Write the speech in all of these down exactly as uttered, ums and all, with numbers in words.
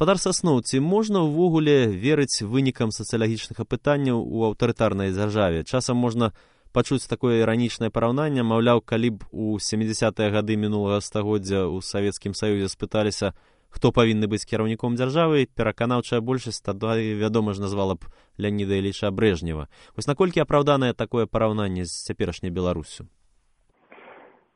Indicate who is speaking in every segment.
Speaker 1: Гаспадар Сасноў, ці можна ўвогуле верыць вынікам сацыялагічных апытанняў у аўтарытарнай дзяржаве? Часам можна пачуць такое іранічнае параўнанне, маўляў, калі б у сямідзясятыя гады мінулага стагоддзя ў Савецкім Саюзе спыталіся, хто павінны быць кіраўніком дзяржавы, пераканаўчая большасць тады, вядома ж, назвала б Леаніда Іліча Брэжнева. Вось наколькі апраўданае такое параўнанне з цяперашняй Беларуссю?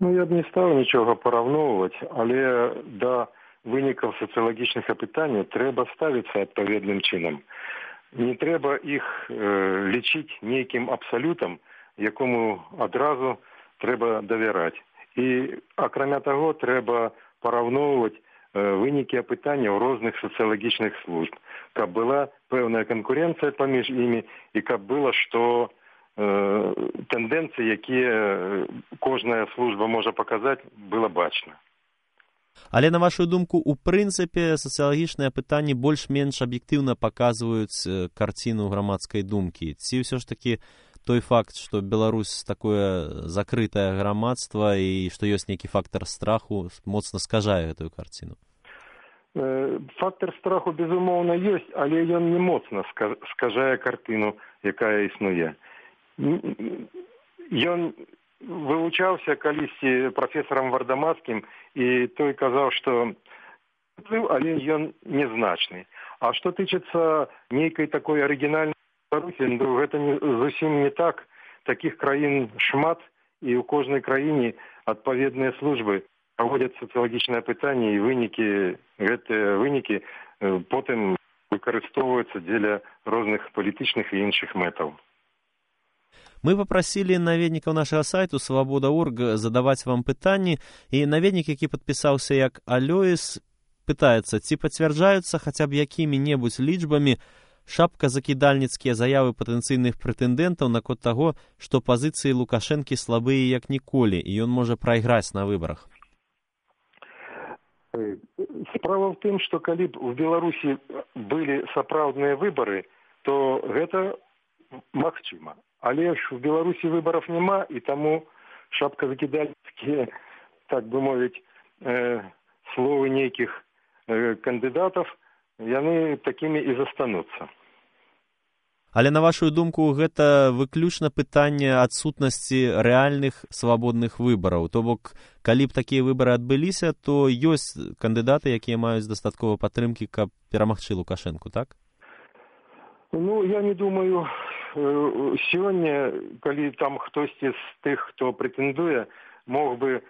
Speaker 2: Ну, я б не стаў нічога параўноўваць, але да вынікаў сацыялагічных апытанняў трэба ставіцца адпаведным чынам. Не трэба іх э, лічыць нейкім абсалютам, якому адразу трэба давяраць. І, акрамя таго, трэба параўноўваць э, вынікі апытанняў розных сацыялагічных служб, каб была пэўная канкурэнцыя паміж імі і каб было, што э, тэндэнцыі, якія кожная служба можа паказаць, было бачна.
Speaker 1: Але, на вашу думку, у прынцыпе сацыялагічныя апытанні больш-менш аб'ектыўна паказваюць карціну грамадскай думкі. Ці ўсё ж такі той факт, што Беларусь такое закрытае грамадства і што ёсць нейкі фактар страху, моцна скажае гэтую карціну?
Speaker 2: Фактар страху, безумоўна, ёсць, але ён не моцна скажае картыну, якая існуе. Ён вывучаўся калісьці прафесарам Вардамацкім, і той казаў, што але ён незначны. А што тычыцца нейкай такой арыгінальнай Беларусі, ну, гэта не, зусім не так. Такіх краін шмат, і ў кожнай краіне адпаведныя службы праводзяць сацыялагічныя апытанні, і вынікі, гэтыя вынікі потым выкарыстоўваюцца дзеля розных палітычных і іншых мэтаў.
Speaker 1: Мы папрасілі наведнікаў нашага сайту свабода точка орг задаваць вам пытанні, і наведнік, які падпісаўся як Алёіс, пытаецца, ці пацвярджаюцца хаця б якімі-небудзь лічбамі шапказакідальніцкія заявы патэнцыйных прэтэндэнтаў наконт таго, што пазіцыі Лукашэнкі слабыя як ніколі, і ён можа прайграць на выбарах.
Speaker 2: Справа ў тым, што калі б у Беларусі былі сапраўдныя выбары, то гэта магчыма. Але ж у Беларусі выбараў няма, і таму шапказакідальніцкія, так бы мовіць, э, словы нейкіх э, кандыдатаў, яны такімі і застануцца.
Speaker 1: Але, на вашу думку, гэта выключна пытанне адсутнасці рэальных свабодных выбараў. То бок, калі б такія выбары адбыліся, то ёсць кандыдаты, якія маюць дастаткова падтрымкі, каб перамагчы Лукашэнку, так?
Speaker 2: Ну, я не думаю, сёння, калі там хтосьці з тых, хто прэтэндуе, мог бы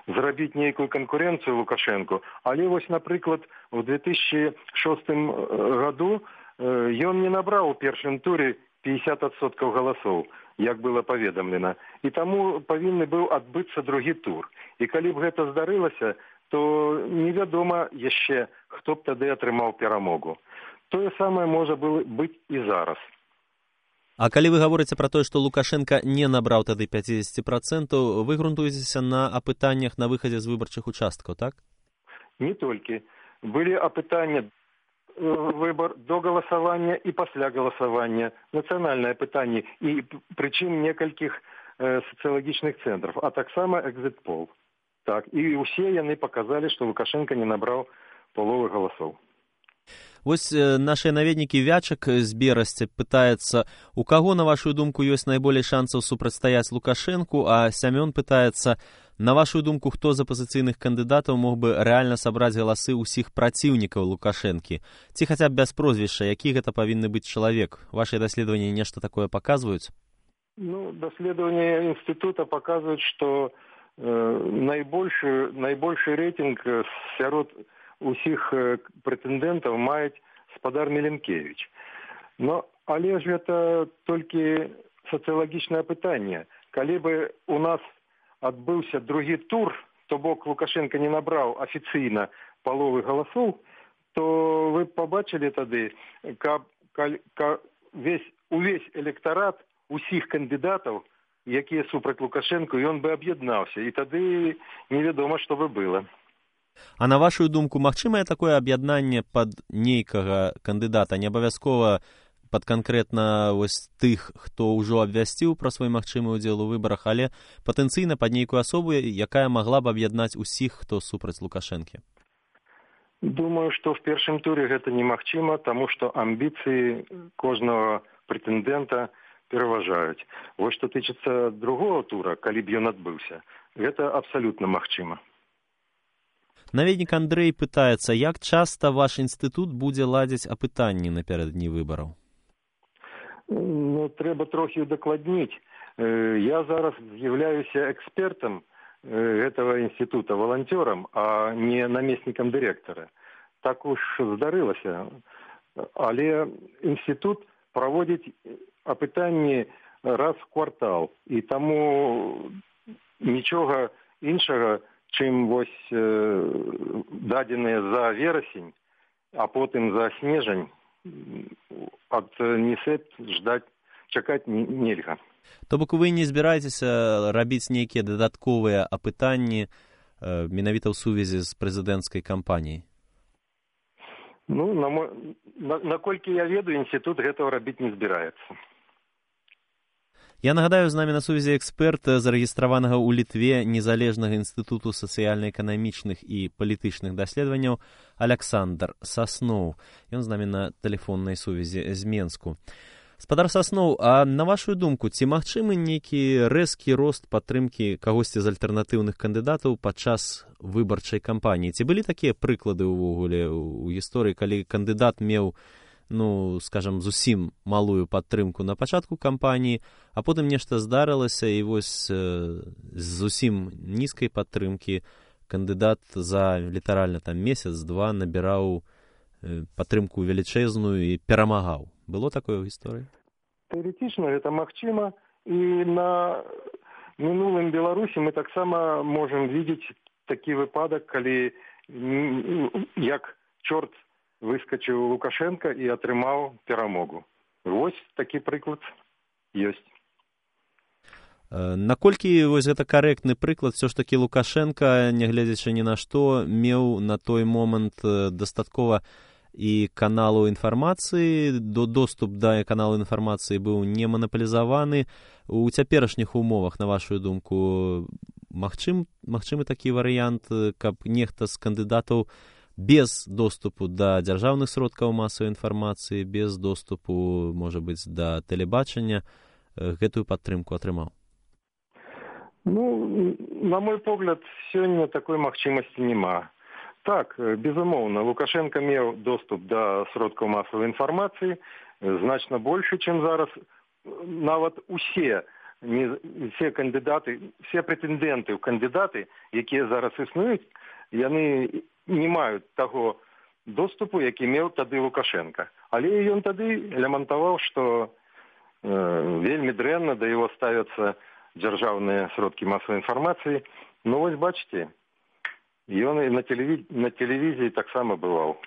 Speaker 2: зрабіць нейкую канкурэнцыю Лукашэнку. Але вось, напрыклад, у две тысячи шостым году ён не набраў у першым туры пятьдесят адсоткаў галасоў, як было паведамлена. І таму павінны быў адбыцца другі тур. І калі б гэта здарылася, то невядома яшчэ, хто б тады атрымаў перамогу. Тое самае можа было быць і зараз.
Speaker 1: А калі вы гаворыце пра тое, што Лукашенка не набраў тады пятьдесят процентаў, вы грунтуецеся на апытаннях на выхадзе з выбарчых участкаў, так?
Speaker 2: Не толькі. Былі апытання выбор до галасавання і пасля галасавання, нацыянальнае пытанне, і прычым некалькіх э, сацыялагічных цэнтраў, а таксама экзит-пол. Так, і ўсе яны паказалі, што Лукашенка не набраў паловы галасоў.
Speaker 1: Вось нашыя наведнікі Вячак з Берасця пытаецца, у каго, на вашу думку, ёсць найболей шансаў супрацьстаяць Лукашэнку, а Сямён пытаецца, на вашу думку, хто з апазіцыйных кандыдатаў мог бы рэальна сабраць галасы ўсіх праціўнікаў Лукашэнкі? Ці хаця б без прозвішча, які гэта павінны быць чалавек? Вашыя даследаванні нешта такое паказваюць?
Speaker 2: Ну, даследаванні інстытута паказваюць, што э, найбольшы, найбольшы рэйтынг сярод усіх прэтэндэнтаў маюць спадар Меленкевіч. Но, але ж гэта толькі сацыялагічнае пытанне. Калі бы у нас адбыўся другі тур, то бок Лукашенко не набраў афіцыйна паловы галасоў, то вы пабачылі тады, каб, каб, каб весь, увесь электарат усіх кандыдатаў, якія супраць Лукашенко, ён бы аб'яднаўся, і тады невядома, што бы было.
Speaker 1: А на вашу думку, магчымае такое аб'яднанне пад нейкага кандыдата, не абавязкова пад канкрэтна вось тых, хто ўжо абвясціў пра свой магчымы ўдзел у выбарах, але патэнцыйна пад нейкую асобу, якая магла б аб'яднаць усіх, хто супраць Лукашэнкі?
Speaker 2: Думаю, што ў першым туры гэта немагчыма, таму што амбіцыі кожнага прэтэндэнта пераважаюць. Вось што тычыцца другого тура, калі б ён адбыўся, гэта абсалютна магчыма.
Speaker 1: Наведнік Андрэй пытаецца, як часта ваш інстытут будзе ладзіць апытанні напярэдадні выбараў?
Speaker 2: Ну, трэба трохі удакладніць. Я зараз з'яўляюся экспертам гэтага інстытута, валанцёрам, а не намеснікам дырэктара. Так уж здарылася. Але інстытут праводзіць апытанні раз в квартал. І таму нічога іншага, чым вось дадзеныя за верасень, а потым за снежань, ад НІСЭП ждаць, чакаць нельга.
Speaker 1: То бок вы не збіраецеся рабіць нейкія дадатковыя апытанні менавіта ў сувязі з прэзідэнцкай кампаніяй?
Speaker 2: Ну, на мо... на, наколькі я ведаю, інстытут гэтага рабіць не збіраецца.
Speaker 1: Я нагадаю, з намі на сувязі эксперт, зарэгістраванага ў Літве незалежнага інстытуту сацыяльна-эканамічных і палітычных даследаванняў Аляксандр Сасноў. Ён з намі на тэлефоннай сувязі з Менску. Спадар Сасноў, а на вашу думку, ці магчымы нейкі рэзкі рост падтрымкі кагосьці з альтэрнатыўных кандыдатаў падчас выбарчай кампаніі? Ці былі такія прыклады ўвогуле ў гісторыі, калі кандыдат меў, ну, скажам, зусім малую падтрымку на пачатку кампаніі, а потым нешта здарылася, і вось з зусім нізкай падтрымкі кандыдат за літаральна там месяц-два набіраў падтрымку велічэзную і перамагаў. Было такое ў гісторыі?
Speaker 2: Тэарэтычна гэта магчыма, і на мінулым Беларусі мы таксама можам видець такі выпадак, калі як чорт выскачыў Лукашенко і атрымаў перамогу. Вось такі прыклад ёсць.
Speaker 1: Наколькі вось гэта карэктны прыклад, все ж такі Лукашенко, нягледзячы ні на што, меў на той момант дастаткова і каналу інфармацыі, до доступ да каналу інфармацыі быў не манаполізаваны. У цяперашніх умовах, на вашу думку, магчым, магчымы такі варыянт, каб нехта з кандыдатаў без доступу да дзяржаўных сродкаў масавай інфармацыі, без доступу, можа быць, да тэлебачання, гэтую падтрымку атрымаў?
Speaker 2: Ну, на мой погляд, сёння такой магчымасці няма. Так, безумоўна, Лукашенко меў доступ да сродкаў масавай інфармацыі значна большы, чым зараз. Нават усе, не, все кандыдаты, все прэтэндэнты ў кандыдаты, якія зараз існуюць, яны не маюць таго доступу, які меў тады Лукашенко. Але ён тады лямантаваў, што э, вельмі дрэнна да яго ставяцца дзяржаўныя сродкі масавай інфармацыі. Ну вось бачыце, ён і на тэлевізіі, на тэлевізіі таксама бываў.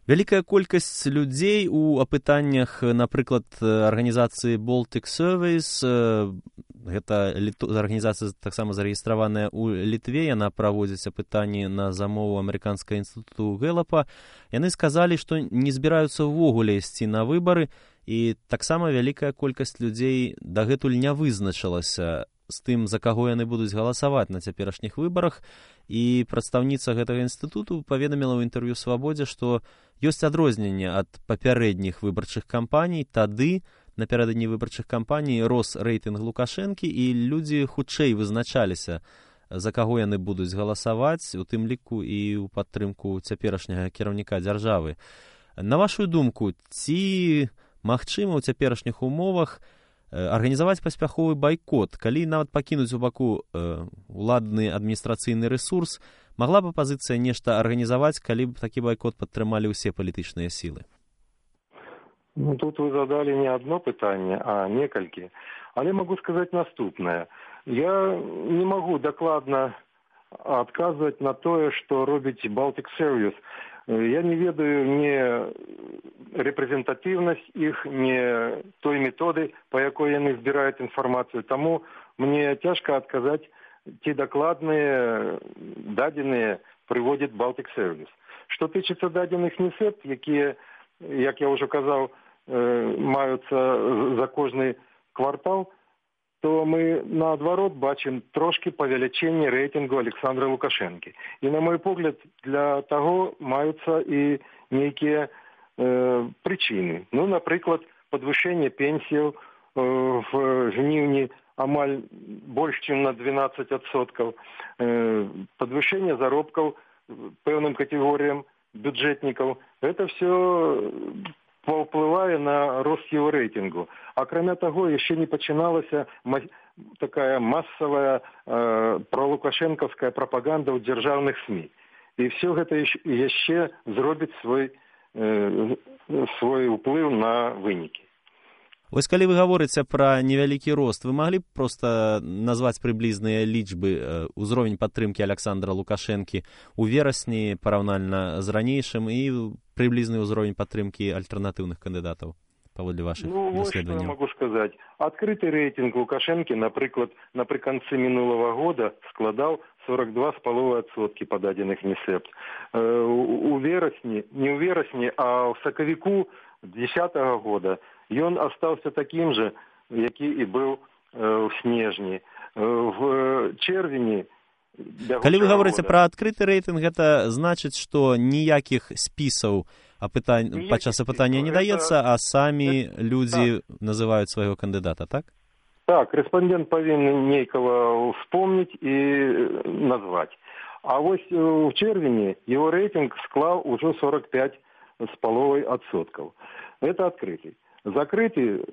Speaker 1: Вялікая колькасць людзей у апытаннях, напрыклад, арганізацыі Baltic Surveys, гэта арганізацыя таксама зарэгістраваная ў Літве, яна праводзіць апытанні на замову амерыканскага інстытуту Гэлапа. Яны сказалі, што не збіраюцца ўвогуле ісці на выбары, і таксама вялікая колькасць людзей дагэтуль не вызначылася з тым, за каго яны будуць галасаваць на цяперашніх выбарах. І прадстаўніца гэтага інстытуту паведаміла ў інтэрв'ю «Свабодзе», што ёсць адрозненне ад папярэдніх выбарчых кампаній. Тады, напярэдадні выбарчых кампаній, рос рэйтынг Лукашэнкі, і людзі хутчэй вызначаліся, за каго яны будуць галасаваць, у тым ліку і ў падтрымку цяперашняга кіраўніка дзяржавы. На вашу думку, ці магчыма ў цяперашніх умовах арганізаваць паспяховы байкот, калі нават пакінуць у баку э, уладны адміністрацыйны рэсурс, магла б апазіцыя нешта арганізаваць, калі б такі байкот падтрымалі ўсе палітычныя сілы?
Speaker 2: Ну, тут вы задали не одно пытанне, а некалькі. Але могу сказаць наступнае. Я не магу дакладна адказваць на тое, што робіць Baltic Surveys. Я не ведаю не рэпрэзентатыўнасць іх, не той методы, па якой яны збіраюць інфармацыю. Таму мне цяжка адказаць, ці дакладныя дадзеныя прыводзіць Baltic Surveys. Што тычыцца дадзеных НІСЭП, якія, як я ўжо казаў, маюцца за кожны квартал, то мы наадварот бачым трошки павелічэнне рэйтынгу Александра Лукашэнкі. І на мой погляд, для таго маюцца і нейкія э, прычыны. Ну, напрыклад, падвышэнне пенсіяў э, в жніўні амаль больш, чым на двенадцать адсоткаў, э, падвышэнне заробкаў пэўным катэгорыям бюджэтнікаў. Это все паўплывае на рост его рэйтынгу. Акрамя таго, яшчэ не пачыналася такая массовая э, пролукашэнкаўская прапаганда ў дзяржаўных СМІ. І все гэта яшчэ зробіць свой, э, свой уплыў на вынікі.
Speaker 1: Вось калі вы гаворыце пра невялікі рост, вы маглі б проста назваць прыблізныя лічбы, узровень падтрымкі Александра Лукашэнкі ў верасні параўнальна з ранейшым і прыблізны ўзровень падтрымкі альтэрнатыўных кандыдатаў паводле вашых
Speaker 2: ну,
Speaker 1: даследаванняў?
Speaker 2: Ну, вот что я могу сказать. Открытый рейтинг Лукашенко, например, наприканцы минулого года складал сорок два с половиной адсоткі пададзеных НИСЭПТ. У верасні, не ў верасні, а ў сакавіку десятого года ён астаўся таким же, які і быў ў снежні. В чэрвені...
Speaker 1: Калі вы гаворыце пра адкрыты рэйтынг, гэта значыць, што ніякіх спісаў апытань... падчас апытання не даецца, а самі людзі так. называюць свайго кандыдата, так?
Speaker 2: Так, рэспандэнт павінен нейкага вспомніць і назваць. А вось у чэрвені его рэйтынг склаў ужо сорок пять с половой адсоткаў. Это открытый. Закрытый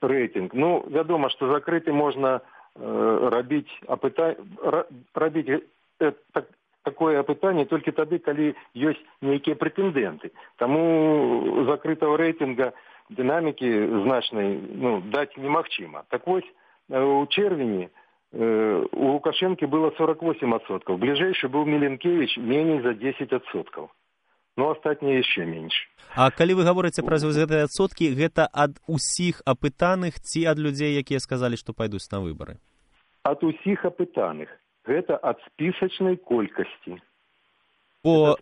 Speaker 2: рейтинг, ну, вядома, что закрытый можно э, рабіць апыта... рабіць э, так, такое апытанне толькі тады, калі ёсць нейкія прэтэндэнты. Таму закрытого рейтинга дынамікі значнай ну, даць немагчыма. Так вось, у чэрвені э, у Лукашэнкі было сорок восемь адсоткаў, бліжэйшы быў Міленкевич меней за десять адсоткаў. Ну, астатнія яшчэ менш.
Speaker 1: А калі вы гаворыце пра гэтыя адсоткі, гэта ад усіх апытаных ці ад людзей, якія сказалі, што пайдуць на выбары?
Speaker 2: Ад усіх апытаных. Гэта ад спісачнай колькасці.
Speaker 1: Бо,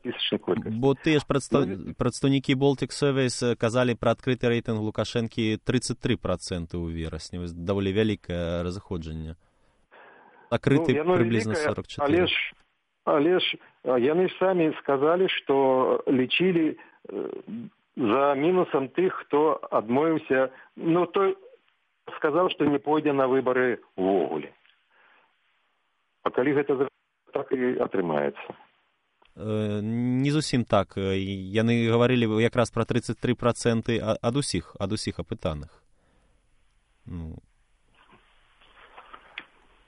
Speaker 1: бо тыя ж прадстав... прадстаўнікі Baltic Surveys казалі пра адкрыты рэйтынг Лукашэнкі тридцать три процента ў верасні. Даволі вялікае разыходжанне. Акрыты ну, прыблізна сорок четыре.
Speaker 2: Але ж Але ж яны самі сказалі, што лічылі за мінусам тых, хто адмовіўся, ну, той сказаў, што не пойдзе на выбары ўвогуле. А калі гэта так і атрымаецца?
Speaker 1: Не зусім так. Яны гаварылі якраз пра тридцать три проценты ад усіх, ад усіх апытаных. Ну...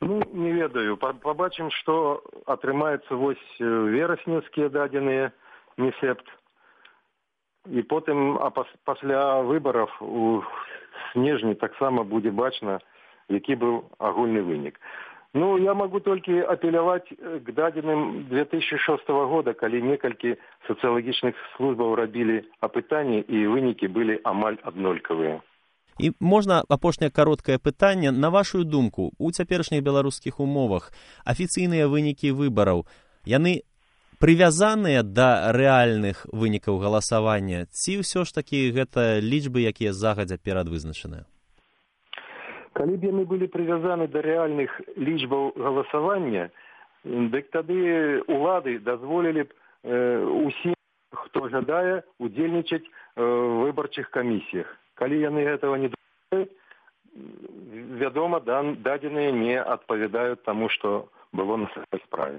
Speaker 2: Ну, не ведаю. Побачым, што атрымаецца вось верасневскія дадзеныя НИСЭПТ. І потым, а пасля выбараў у снежні таксама будзе бачна, які быў агульны вынік. Ну, я могу толькі апеляваць к дадзеным две тысячи шестого года, калі некалькі сацыялагічных службаў рабілі апытанні, і вынікі былі амаль аднолькавыя.
Speaker 1: І можна апошняе кароткае пытанне. На вашу думку, у цяперашніх беларускіх умовах афіцыйныя вынікі выбараў, яны прывязаныя да рэальных вынікаў галасавання, ці ўсё ж такі гэта лічбы, якія загадзя перадвызначаныя?
Speaker 2: Калі б яны былі прывязаны да рэальных лічбаў галасавання, дык тады улады дазволілі б э, усім, хто жадае, удзельнічаць э, ў выбарчых камісіях. Калі яны гэтага не даюць, вядома, дадзеныя не адпавядаюць таму, што было на самой справе.